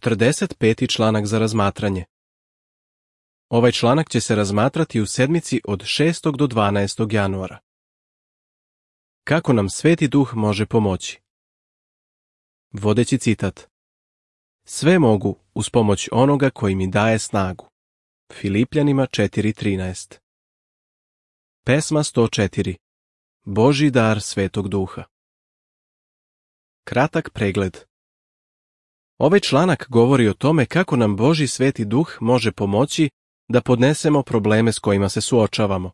45. članak za razmatranje. Ovaj članak će se razmatrati u sedmici od 6. do 12. januara. Kako nam Sveti Duh može pomoći? Vodeći citat. Sve mogu uz pomoć onoga koji mi daje snagu. Filipljanima 4.13. Pesma 104. Božji dar Svetog Duha. Kratak pregled. Ovaj članak govori o tome kako nam Božji Sveti Duh može pomoći da podnesemo probleme s kojima se suočavamo.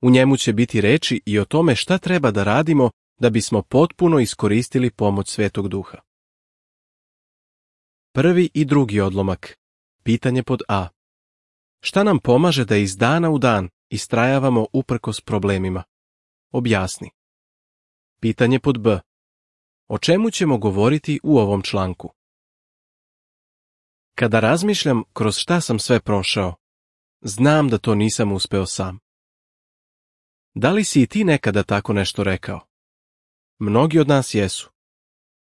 U njemu će biti reči i o tome šta treba da radimo da bismo potpuno iskoristili pomoć Svetog Duha. Prvi i drugi odlomak. Pitanje pod A. Šta nam pomaže da iz dana u dan istrajavamo uprkos problemima? Objasni. Pitanje pod B. O čemu ćemo govoriti u ovom članku? Kada razmišljam kroz šta sam sve prošao, znam da to nisam uspeo sam. Da li si i ti nekada tako nešto rekao? Mnogi od nas jesu.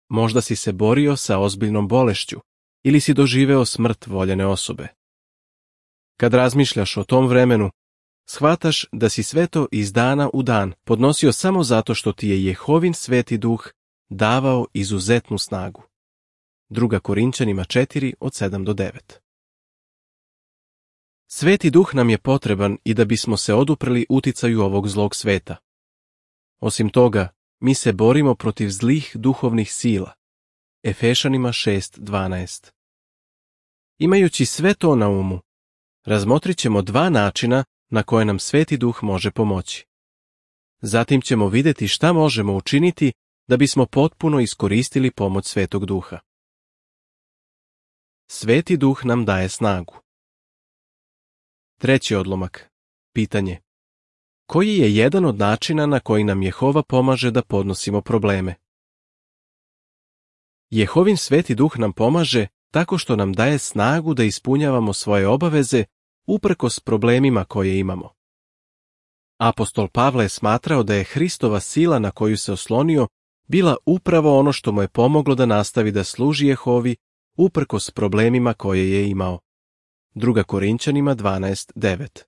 Možda si se borio sa ozbiljnom bolešću ili si doživeo smrt voljene osobe. Kad razmišljaš o tom vremenu, shvataš da si sve to iz dana u dan podnosio samo zato što ti je Jehovin Sveti Duh davao izuzetnu snagu. 2. Korinćanima 4 od 7 do 9. Sveti Duh nam je potreban i da bismo se oduprli uticaju ovog zlog sveta. Osim toga, mi se borimo protiv zlih duhovnih sila. Efešanima 6.12. Imajući sve to na umu, razmotrit ćemo dva načina na koje nam Sveti Duh može pomoći. Zatim ćemo vidjeti šta možemo učiniti da bismo potpuno iskoristili pomoć Svetog Duha. Sveti Duh nam daje snagu. Treći odlomak. Pitanje. Koji je jedan od načina na koji nam Jehova pomaže da podnosimo probleme? Jehovin Sveti Duh nam pomaže tako što nam daje snagu da ispunjavamo svoje obaveze uprkos problemima koje imamo. Apostol Pavle je smatrao da je Hristova sila na koju se oslonio bila upravo ono što mu je pomoglo da nastavi da služi Jehovi uprkos problemima koje je imao. 2. Korinćanima 12.9.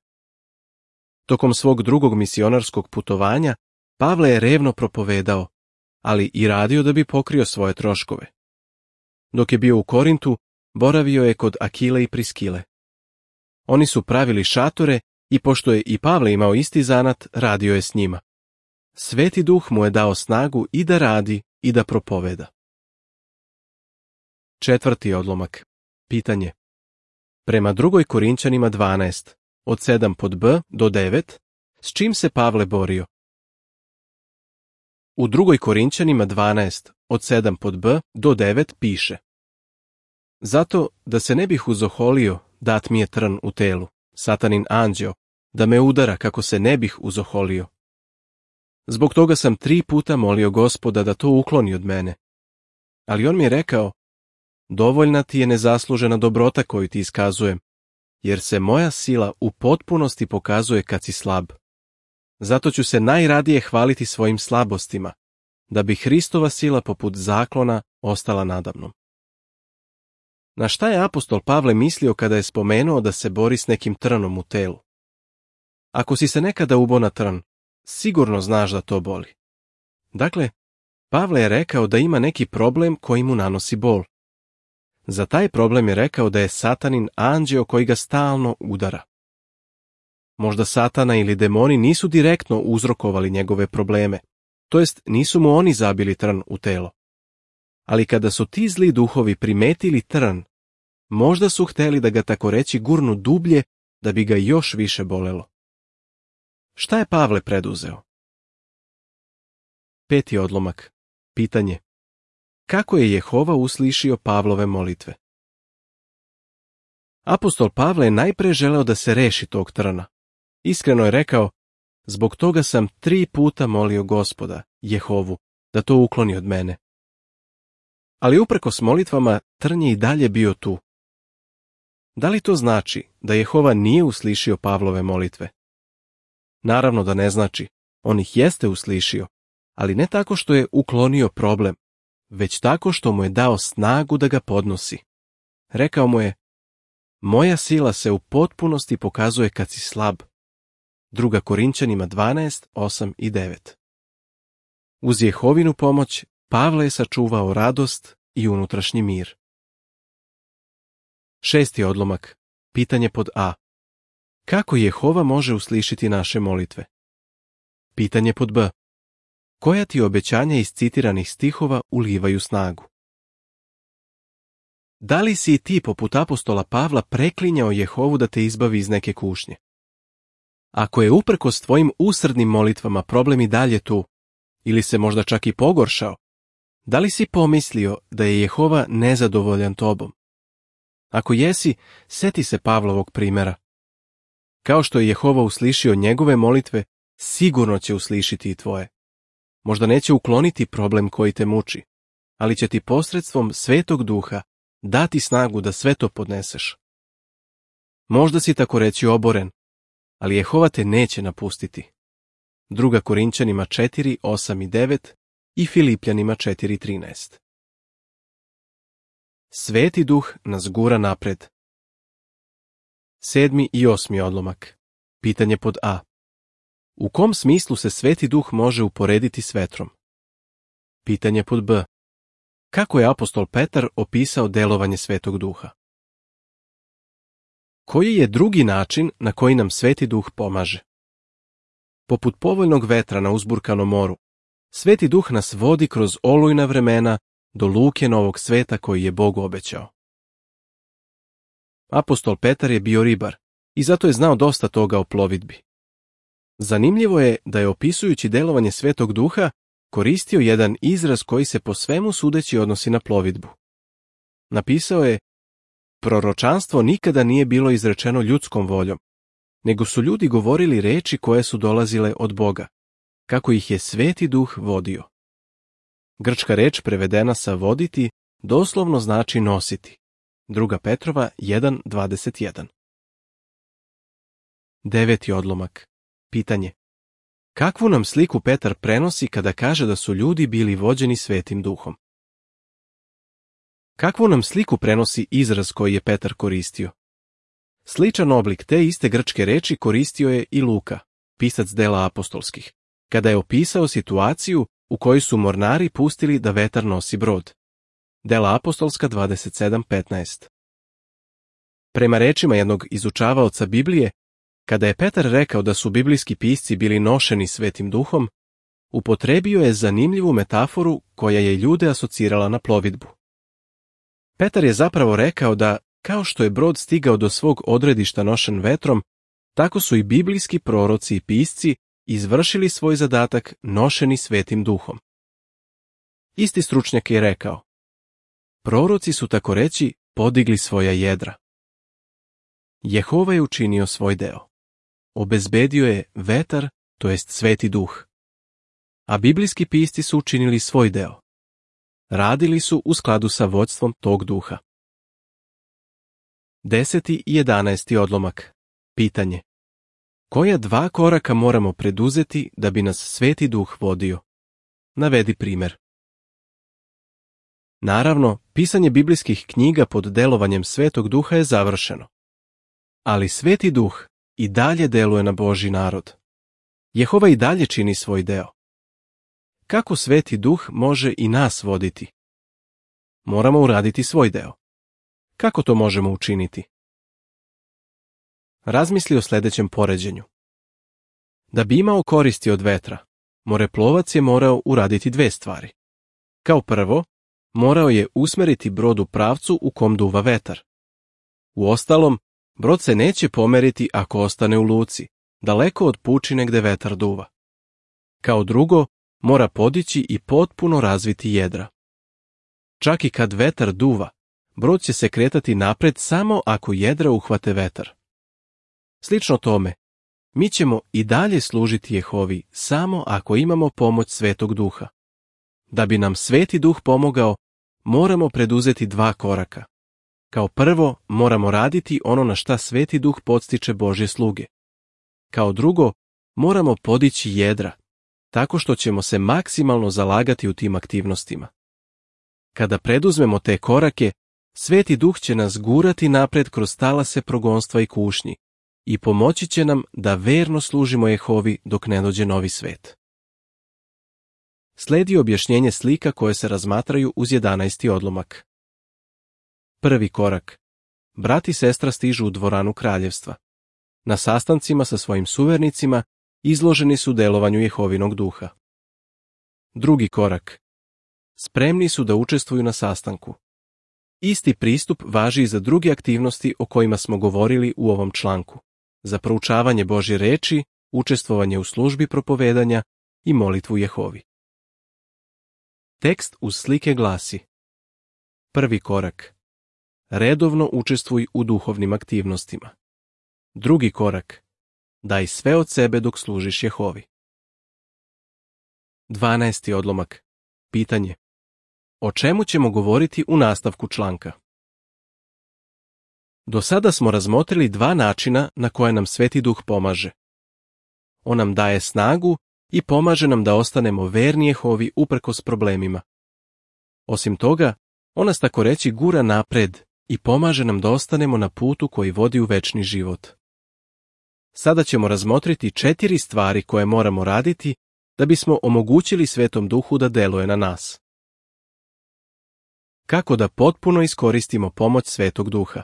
Tokom svog drugog misionarskog putovanja, Pavle je revno propovedao, ali i radio da bi pokrio svoje troškove. Dok je bio u Korintu, boravio je kod Akile i Priskile. Oni su pravili šatore i pošto je i Pavle imao isti zanat, radio je s njima. Sveti Duh mu je dao snagu i da radi i da propoveda. Četvrti odlomak. Pitanje. Prema 2. Korinćanima 12, od 7 pod B do 9, s čim se Pavle borio? U 2. Korinćanima 12, od 7 pod B do 9 piše: Zato da se ne bih uzoholio, dat mi je trn u telu, satanin anđeo, da me udara kako se ne bih uzoholio. Zbog toga sam 3 puta molio Gospoda da to ukloni od mene. Ali on mi je rekao: Dovoljna ti je nezaslužena dobrota koju ti iskazujem, jer se moja sila u potpunosti pokazuje kad si slab. Zato ću se najradije hvaliti svojim slabostima, da bi Hristova sila poput zaklona ostala nadamnom. Na šta je apostol Pavle mislio kada je spomenuo da se bori s nekim trnom u telu? Ako si se nekada ubo na trn, sigurno znaš da to boli. Dakle, Pavle je rekao da ima neki problem koji mu nanosi bol. Za taj problem je rekao da je satanin anđeo koji ga stalno udara. Možda satana ili demoni nisu direktno uzrokovali njegove probleme, to jest nisu mu oni zabili trn u telo. Ali kada su ti zli duhovi primetili trn, možda su hteli da ga tako reći gurnu dublje da bi ga još više bolelo. Šta je Pavle preduzeo? Peti odlomak. Pitanje. Kako je Jehova uslišio Pavlove molitve? Apostol Pavle je najpre želeo da se reši tog trna. Iskreno je rekao: Zbog toga sam 3 puta molio Gospoda, Jehovu, da to ukloni od mene. Ali uprkos molitvama, trn je i dalje bio tu. Da li to znači da Jehova nije uslišio Pavlove molitve? Naravno da ne znači, on ih jeste uslišio, ali ne tako što je uklonio problem, već tako što mu je dao snagu da ga podnosi. Rekao mu je: moja sila se u potpunosti pokazuje kad si slab. 2. Korinćanima 12, 8 i 9. Uz Jehovinu pomoć Pavle je sačuvao radost i unutrašnji mir. 6. odlomak. Pitanje pod A. Kako Jehova može uslišiti naše molitve? Pitanje pod B. Koja ti obećanja iz citiranih stihova ulivaju snagu? Da li si i ti poput apostola Pavla preklinjao Jehovu da te izbavi iz neke kušnje? Ako je uprkos tvojim usrdnim molitvama problem i dalje tu, ili se možda čak i pogoršao, da li si pomislio da je Jehova nezadovoljan tobom? Ako jesi, seti se Pavlovog primjera. Kao što je Jehova uslišio njegove molitve, sigurno će uslišiti i tvoje. Možda neće ukloniti problem koji te muči, ali će ti posredstvom Svetog Duha dati snagu da sve to podneseš. Možda si tako reći oboren, ali Jehova te neće napustiti. 2. Korinćanima 4, 8 i 9 i Filipljanima 4, 13. Sveti Duh nas gura napred. 7. i 8. odlomak. Pitanje pod A. U kom smislu se Sveti Duh može uporediti s vetrom? Pitanje pod B. Kako je apostol Petar opisao delovanje Svetog Duha? Koji je drugi način na koji nam Sveti Duh pomaže? Poput povoljnog vetra na uzburkanom moru, Sveti Duh nas vodi kroz olujna vremena do luke novog sveta koji je Bog obećao. Apostol Petar je bio ribar i zato je znao dosta toga o plovidbi. Zanimljivo je da je opisujući delovanje Svetog Duha koristio jedan izraz koji se po svemu sudeći odnosi na plovidbu. Napisao je: proročanstvo nikada nije bilo izrečeno ljudskom voljom, nego su ljudi govorili reči koje su dolazile od Boga, kako ih je Sveti Duh vodio. Grčka reč prevedena sa voditi doslovno znači nositi. 2. Petrova 1.21. 9. odlomak. Pitanje. Kakvu nam sliku Petar prenosi kada kaže da su ljudi bili vođeni Svetim Duhom? Kakvu nam sliku prenosi izraz koji je Petar koristio? Sličan oblik te iste grčke reči koristio je i Luka, pisac dela apostolskih, kada je opisao situaciju u kojoj su mornari pustili da vetar nosi brod. Dela apostolska 27.15. Prema rečima jednog izučavaoca Biblije, kada je Petar rekao da su biblijski pisci bili nošeni Svetim Duhom, upotrebio je zanimljivu metaforu koja je ljude asocirala na plovidbu. Petar je zapravo rekao da, kao što je brod stigao do svog odredišta nošen vetrom, tako su i biblijski proroci i pisci izvršili svoj zadatak nošeni Svetim Duhom. Isti stručnjak je rekao: proroci su tako reći podigli svoja jedra. Jehova je učinio svoj deo. Obezbedio je vetar, to jest Sveti Duh. A biblijski pisci su učinili svoj deo. Radili su u skladu sa vodstvom tog duha. 10. i 11. odlomak. Pitanje. Koja 2 koraka moramo preduzeti da bi nas Sveti Duh vodio? Navedi primjer. Naravno, pisanje biblijskih knjiga pod delovanjem Svetog Duha je završeno. Ali Sveti Duh i dalje deluje na Božji narod. Jehova i dalje čini svoj deo. Kako Sveti Duh može i nas voditi? Moramo uraditi svoj deo. Kako to možemo učiniti? Razmisli o sljedećem poređenju. Da bi imao koristi od vetra, moreplovac je morao uraditi 2 stvari. Kao prvo, morao je usmeriti brod u pravcu u kom duva vetar. Uostalom, brod se neće pomeriti ako ostane u luci, daleko od pučine gde vetar duva. Kao drugo, mora podići i potpuno razviti jedra. Čak i kad vetar duva, brod će se kretati napred samo ako jedra uhvate vetar. Slično tome, mi ćemo i dalje služiti Jehovi samo ako imamo pomoć Svetog Duha. Da bi nam Sveti Duh pomogao, moramo preduzeti 2 koraka. Kao prvo, moramo raditi ono na šta Sveti Duh podstiče Božje sluge. Kao drugo, moramo podići jedra, tako što ćemo se maksimalno zalagati u tim aktivnostima. Kada preduzmemo te korake, Sveti Duh će nas gurati napred kroz talase progonstva i kušnji i pomoći će nam da verno služimo Jehovi dok ne dođe novi svet. Slijedi objašnjenje slika koje se razmatraju uz 11. odlomak. Prvi korak. Brat i sestra stižu u dvoranu kraljevstva. Na sastancima sa svojim suvernicima izloženi su delovanju Jehovinog duha. Drugi korak. Spremni su da učestvuju na sastanku. Isti pristup važi i za druge aktivnosti o kojima smo govorili u ovom članku. Za proučavanje Božje reči, učestvovanje u službi propovedanja i molitvu Jehovi. Tekst uz slike glasi: Prvi korak. Redovno učestvuj u duhovnim aktivnostima. Drugi korak. Daj sve od sebe dok služiš Jehovi. 12. odlomak. Pitanje. O čemu ćemo govoriti u nastavku članka? Do sada smo razmotrili dva načina na koje nam Sveti Duh pomaže. On nam daje snagu i pomaže nam da ostanemo verni Jehovi uprkos problemima. Osim toga, on nas tako reći gura napred i pomaže nam da ostanemo na putu koji vodi u večni život. Sada ćemo razmotriti 4 stvari koje moramo raditi da bismo omogućili Svetom Duhu da deluje na nas. Kako da potpuno iskoristimo pomoć Svetog Duha?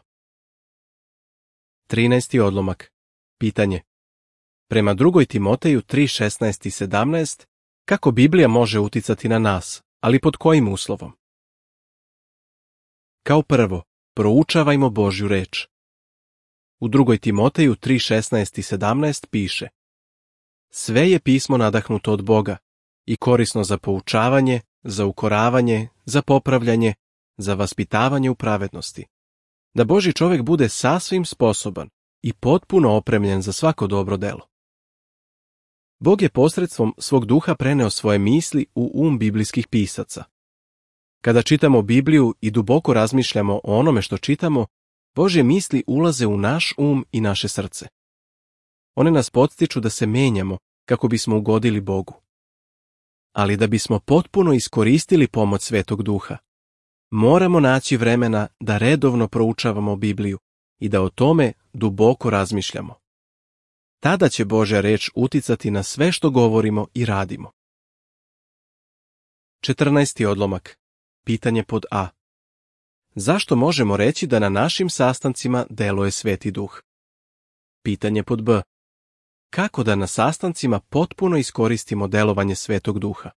13. odlomak. Pitanje. Prema 2. Timoteju 3:16 i 17, kako Biblija može uticati na nas, ali pod kojim uslovom? Kao prvo, proučavajmo Božju reč. U 2. Timoteju 3:16 i 17 piše: Sve je pismo nadahnuto od Boga i korisno za poučavanje, za ukoravanje, za popravljanje, za vaspitavanje u pravednosti, da Božji čovjek bude sasvim sposoban i potpuno opremljen za svako dobro delo. Bog je posredstvom svog duha preneo svoje misli u biblijskih pisaca. Kada čitamo Bibliju i duboko razmišljamo o onome što čitamo, Božje misli ulaze u naš i naše srce. One nas podstiču da se menjamo kako bismo ugodili Bogu. Ali da bismo potpuno iskoristili pomoć Svetog Duha, moramo naći vremena da redovno proučavamo Bibliju i da o tome duboko razmišljamo. Tada će Božja reč uticati na sve što govorimo i radimo. 14. odlomak. Pitanje pod A. Zašto možemo reći da na našim sastancima deluje Sveti Duh? Pitanje pod B. Kako da na sastancima potpuno iskoristimo delovanje Svetog Duha?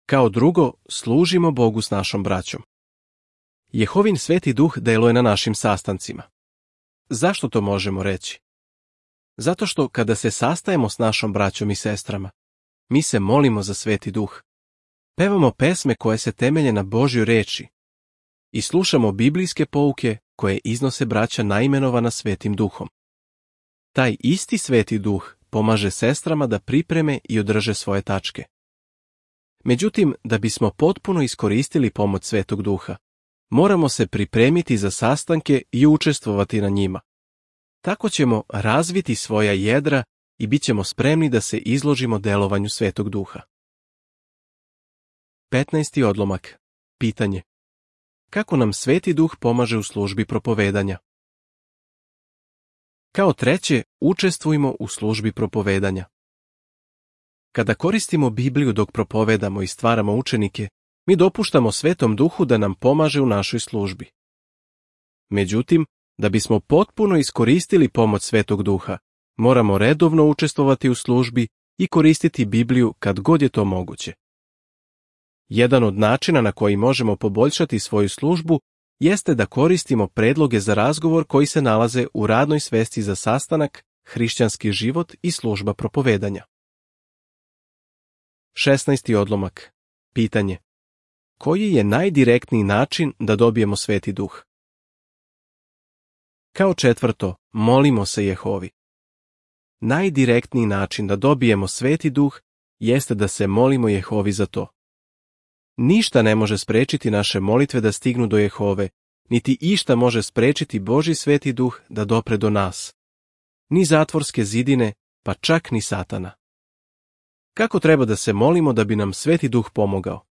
Kao drugo, služimo Bogu s našom braćom. Jehovin Sveti Duh deluje na našim sastancima. Zašto to možemo reći? Zato što kada se sastajemo s našom braćom i sestrama, mi se molimo za Sveti Duh. Pevamo pesme koje se temelje na Božjoj reči i slušamo biblijske pouke koje iznose braća naimenovana Svetim Duhom. Taj isti Sveti Duh pomaže sestrama da pripreme i održe svoje tačke. Međutim, da bismo potpuno iskoristili pomoć Svetog Duha, moramo se pripremiti za sastanke i učestvovati na njima. Tako ćemo razviti svoja jedra i bit ćemo spremni da se izložimo delovanju Svetog Duha. 15. odlomak. Pitanje. Kako nam Sveti Duh pomaže u službi propovedanja? Kao treće, učestvujmo u službi propovedanja. Kada koristimo Bibliju dok propovedamo i stvaramo učenike, mi dopuštamo Svetom Duhu da nam pomaže u našoj službi. Međutim, da bismo potpuno iskoristili pomoć Svetog Duha, moramo redovno učestvovati u službi i koristiti Bibliju kad god je to moguće. Jedan od načina na koji možemo poboljšati svoju službu jeste da koristimo predloge za razgovor koji se nalaze u radnoj svesci za sastanak, hrišćanski život i služba propovedanja. 16. odlomak. Pitanje. Koji je najdirektniji način da dobijemo Sveti Duh? Kao četvrto, molimo se Jehovi. Najdirektniji način da dobijemo Sveti Duh jeste da se molimo Jehovi za to. Ništa ne može sprečiti naše molitve da stignu do Jehove, niti išta može sprečiti Božji Sveti Duh da dopre do nas. Ni zatvorske zidine, pa čak ni Satana. Kako treba da se molimo da bi nam Sveti Duh pomogao?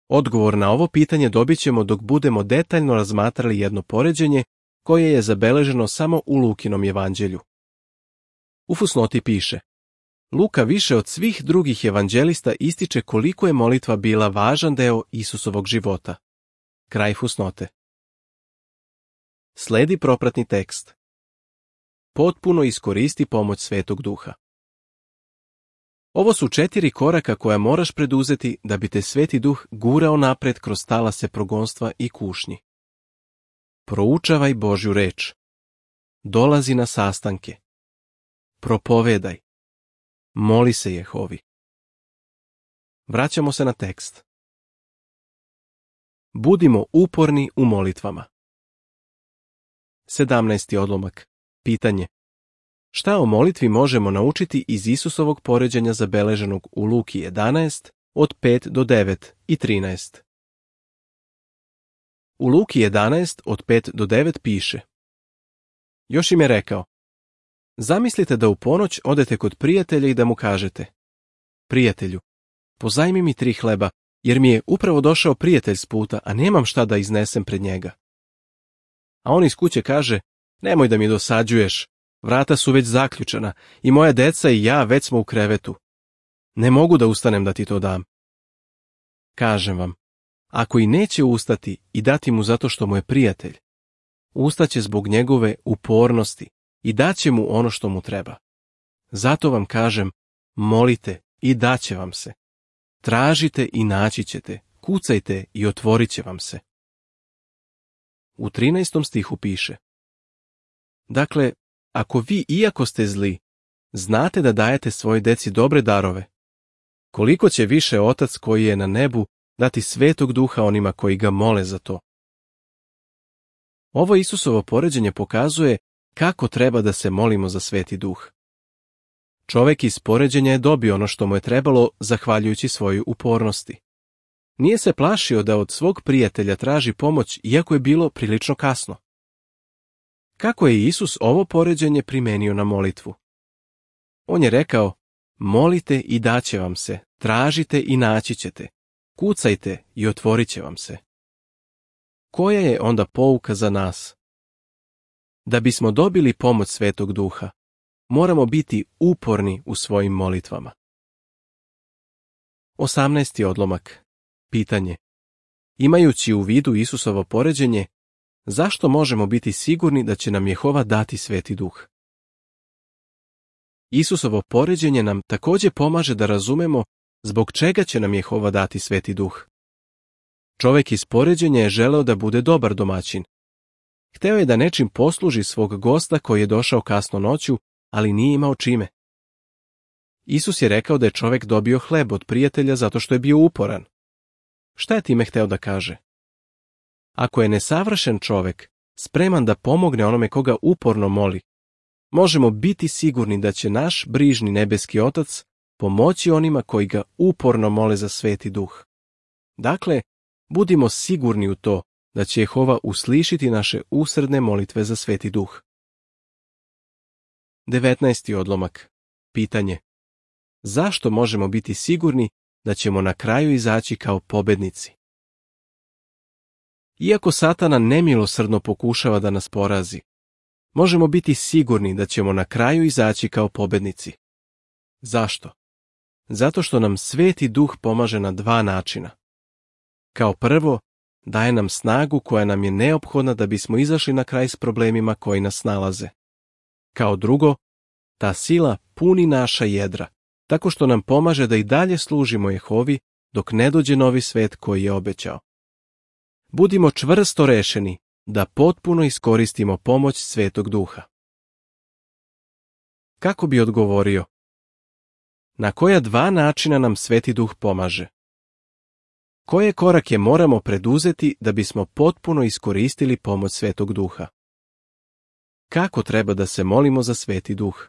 Odgovor na ovo pitanje dobit ćemo dok budemo detaljno razmatrali jedno poređenje koje je zabeleženo samo u Lukinom evanđelju. U fusnoti piše: Luka više od svih drugih evanđelista ističe koliko je molitva bila važan deo Isusovog života. Kraj fusnote. Sledi propratni tekst. Potpuno iskoristi pomoć Svetog Duha. Ovo su 4 koraka koja moraš preduzeti da bi te Sveti Duh gurao napred kroz talase progonstva i kušnji. Proučavaj Božju reč. Dolazi na sastanke. Propovedaj. Moli se Jehovi. Vraćamo se na tekst. Budimo uporni u molitvama. 17. odlomak. Pitanje. Šta o molitvi možemo naučiti iz Isusovog poređenja zabeleženog u Luki 11 od 5 do 9 i 13? U Luki 11 od 5 do 9 piše: Još im je rekao: Zamislite da u ponoć odete kod prijatelja i da mu kažete: Prijatelju, pozajmi mi 3 hleba, jer mi je upravo došao prijatelj s puta, a nemam šta da iznesem pred njega. A on iz kuće kaže: Nemoj da mi dosađuješ, vrata su već zaključana i moja deca i ja već smo u krevetu. Ne mogu da ustanem da ti to dam. Kažem vam, ako i neće ustati i dati mu zato što mu je prijatelj, ustaće zbog njegove upornosti i daće mu ono što mu treba. Zato vam kažem, molite i daće vam se. Tražite i naći ćete, kucajte i otvorit će vam se. U 13. stihu piše: Dakle, ako vi, iako ste zli, znate da dajete svojoj deci dobre darove, koliko će više Otac koji je na nebu dati Svetog Duha onima koji ga mole za to. Ovo Isusovo poređenje pokazuje kako treba da se molimo za Sveti Duh. Čovek iz poređenja je dobio ono što mu je trebalo zahvaljujući svojoj upornosti. Nije se plašio da od svog prijatelja traži pomoć, iako je bilo prilično kasno. Kako je Isus ovo poređenje primenio na molitvu? On je rekao: Molite i daće vam se, tražite i naći ćete, kucajte i otvorit će vam se. Koja je onda pouka za nas? Da bismo dobili pomoć Svetog Duha, moramo biti uporni u svojim molitvama. 18. odlomak. Pitanje. Imajući u vidu Isusovo poređenje, zašto možemo biti sigurni da će nam Jehova dati Sveti Duh? Isusovo poređenje nam također pomaže da razumemo zbog čega će nam Jehova dati Sveti Duh. Čovek iz poređenja je želeo da bude dobar domaćin. Hteo je da nečim posluži svog gosta koji je došao kasno noću, ali nije imao čime. Isus je rekao da je čovek dobio hleb od prijatelja zato što je bio uporan. Šta je time hteo da kaže? Ako je nesavršen čovek spreman da pomogne onome koga uporno moli, možemo biti sigurni da će naš brižni nebeski Otac pomoći onima koji ga uporno mole za Sveti Duh. Dakle, budimo sigurni u to da će Jehova uslišiti naše usredne molitve za Sveti Duh. 19. odlomak. Pitanje. Zašto možemo biti sigurni da ćemo na kraju izaći kao pobednici? Iako Satana nemilosrdno pokušava da nas porazi, možemo biti sigurni da ćemo na kraju izaći kao pobednici. Zašto? Zato što nam Sveti Duh pomaže na 2 načina. Kao prvo, daje nam snagu koja nam je neophodna da bismo izašli na kraj s problemima koji nas nalaze. Kao drugo, ta sila puni naša jedra, tako što nam pomaže da i dalje služimo Jehovi dok ne dođe novi svet koji je obećao. Budimo čvrsto rešeni da potpuno iskoristimo pomoć Svetog Duha. Kako bi odgovorio? Na koja 2 načina nam Sveti Duh pomaže? Koje korake moramo preduzeti da bismo potpuno iskoristili pomoć Svetog Duha? Kako treba da se molimo za Sveti Duh?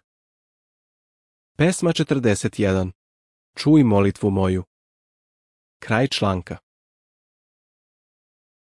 Pesma 41. Čuj molitvu moju. Kraj članka.